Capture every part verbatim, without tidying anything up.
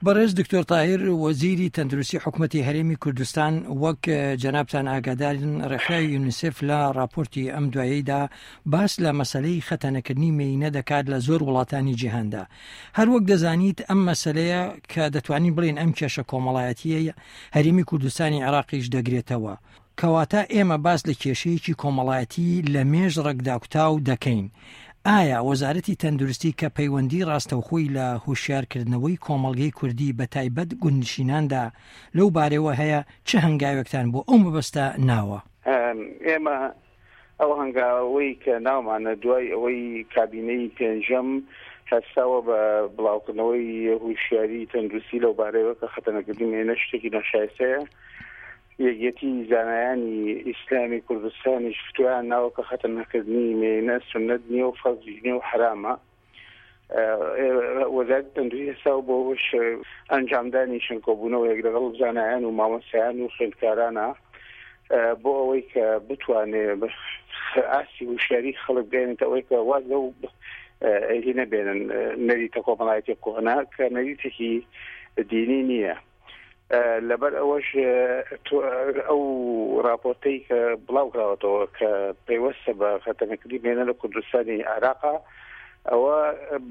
بەڕێز دکتۆر تاهیر، وەزیری تەندروستی حکومەتی هەرێمی کوردستان، وەک جەنابتان ئاگادارن ڕێکخراوی یونیسێف لە ڕاپۆرتی ئەم دوایەیدا باس لە مەسەلەی خەتەنەکردنی مێینە دەکات لە زۆر وڵاتانی جیهاندا. هەر وەک دەزانیت ئەم مەسەلەیە کە دەتوانین بڵێین ئەم کێشە کۆمەڵایەتییەی هەرێمی کوردستانی عێراقیش دەگرێتەوە. کەواتە ئێمە باس لە کێشەیەکی کۆمەڵایەتی لە مێژ ڕەگداکوتاو دەکەین. ئایا وەزارەتی تەندروستی کە پەیوەندی ڕاستەوخۆی لە هۆشیارکردنەوەی کۆمەڵگەی کوردی بە تایبەت گوندنشیناندا لەو بارەوە هەیە، چ هەنگاوێکتان بۆ ئەو مەبەستە ناوە؟ ئێمە ئەو هەنگاوەی کە ناومانە دوای ئەوەی کابینەی پێنجەم هەستاوە بە بڵاوکردنەوەی هوشیاری تەندروستی لەو بارەیەوە کە خەتەنەکردنی مێینە شتێکی ناشایستەیە، یەکێتی زانایانی ئیسلامی کوردستانیش فتوایان ناوە کە خەتەنەکردنی مێینە سوننەت نییە و فەرزیش نییە و حەرامە. وەزارەتی تەندروستی هەستاوە بۆ ئەنجامدانی چەند کۆبوونەوەیەک لەگەڵ زانایان و مامۆستایان و خوێندکارانە بۆ ئەوەی کە بتوانێ ئاستی هوشیاری خەڵک بێنێتە ئەوەی کە واز لەو هی نەبێنن نەریتە کۆمەڵایەتی کۆنە کە نەریتێکی دینی نییە. لەبەر ئەوەش ئەو راپۆرتەی کە بڵاو کراوەتەوە کە پەیوەستە بە خەتەنەکردنی مێینە لە کوردستانی عێراقا، ئەوە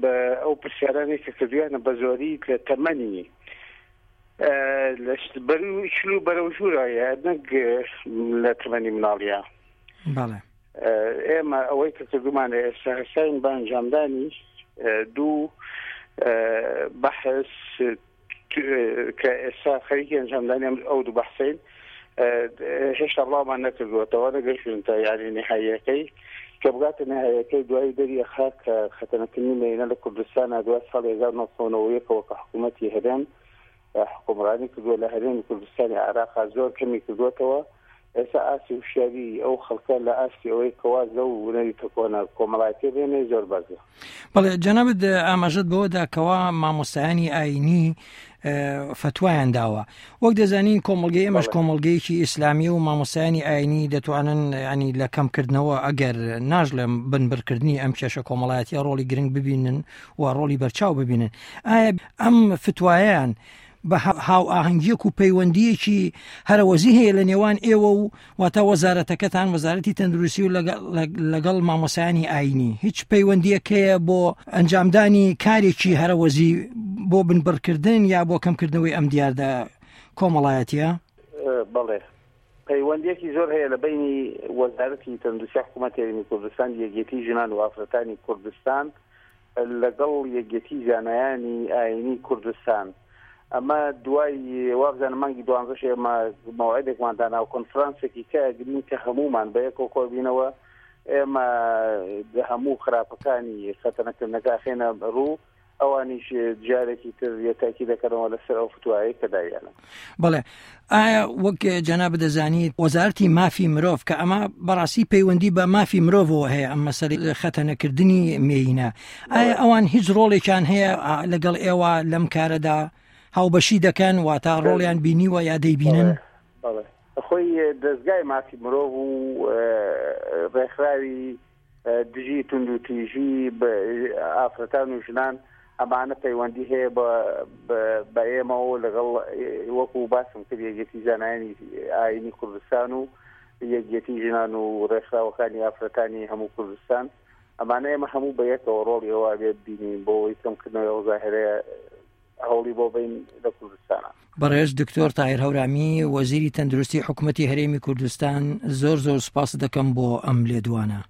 بە ئەو پرسیارانەی کە کردویانە بە زۆری لە تەمەنی چل و بەرەو ژوورایە نەک لە تەمەنی مناڵیە. بەڵێ. ئێمە ئەوەی کە کردومانە ئێستا هەستاین بە ئەنجامدانی دوو بەحس کە ئێستا خەریکی ئەنجامدانی ئەو دوو بەحسین، هێشتا بڵاومان نەکردووەتەوە، نەگەشتوینتە یاری نهاییەکەی کە بگاتە نهاییەکەی دوای دەری ئەخا کە خەتەنەکردنی مێینە لە کوردستانە دوای ساڵی هەزار و نۆ سەد و نەوەد و یەکەوە کە حکوومەتی هەرێم حکومڕانی کردووە لە هەرێمی کوردستانی عێراقا زۆر کەمی کردووەتەوە. ئێستا ئاستی هوشیاری ئەو خەڵکە لە ئاستی ئەوەی کەواز لەو نەریتە کۆنە کۆمەڵایەتیە بێنێ زۆر بەرزە. بەڵێ جەنابت ئاماژەت بەوەدا کەوا مامۆستایانی ئاینی فەتوایان داوە. وەک دەزانین کۆمەڵگەی ئێمەش کۆمەڵگەیەکی ئیسلامی و مامۆستایانی ئاینی دەتوانن ینی لە کەمکردنەوە ئەگەر ناژڵێم بنبڕکردنی ئەم کێشە کۆمەڵایەتیە ڕۆڵی گرنگ ببینن و ڕۆڵی بەرچاو ببینن. ئایا ئەم فتوایەیان بە هاوئاهەنگیەک و پەیوەندیەکی هەرەوەزی هەیە لە نێوان ئێوە و واتە وەزارەتەکەتان، وەزارەتی تەندروستی و لەگەڵ مامۆستایانی ئاینی هیچ پەیوەندیەک هەیە بۆ ئەنجامدانی کارێکی هەرەوەزی بۆ بنبڕکردن یا بۆ کەمکردنەوەی ئەم دیاردە کۆمەڵایەتیە؟ بەڵێ، پەیوەندیەکی زۆر هەیە لە بینی وەزارەتی تەندروستی حکوومەتی هەرێمی کوردستان، یەکێتی ژنان و ئافرەتانی کوردستان لەگەڵ یەکێتی زانایانی ئاینی کوردستان. ئەمە دوای وابزانم مانگی دوانزەش ئێمە مەوعدێکمان دانا و کۆنفرانسێکی کە ئەگرین کە هەمومان بە یەکەوە کۆبینەوە. ئێمە هەموو خراپەکانی خەتەنەکردنەکە ئەخەینە ڕوو، ئەوانیش جارێکی تر یەتاکی دەکەنەوە لەسەر ئەو فتوایەی کە داویانە. بەڵێ، ئایا وەک جەناب دەزانیت وەزارەتی مافی مرۆڤ کە ئەمە بەڕاستی پەیوەندی بە مافی مرۆڤەوە هەیە، ئەم مەسەلەی خەتەنەکردنی مێینە، ئایا ئەوان هیچ ڕۆڵێکیان هەیە لەگەڵ ئێوە لەم کارەدا هاوبەشی دەکەن، واتە ڕۆڵیان بینیوە یا دەیبینن؟ بەڵێ، خۆی دەستگای مافی مرۆڤ و ڕێکخراوی دژی توندوتیژی ئافرەتان و ژنان ئەمانە پەیوەندی هەیە بە ئێمەوە لەگەڵ وەکو باسم کرد یەکێتی زانایانی ئاینی کوردستان و یەکێتی ژنان و ڕێکخراوەکانی ئافرەتانی هەموو کوردستان. ئەمانە ئێمە هەموو بە یەکەوە ڕۆڵی ئەوە بێت بینین بۆ ئەوەی کەمکردنەوەی ئەو زاهرەیە هەوڵی بۆ بین لە کوردستانە. بەڕێز دکتۆر تاهیر هەورامی، وەزیری تەندروستی حکوومەتی هەرێمی کوردستان، زۆر زۆر سپاس دەکەم بۆ ئەم لێدوانە.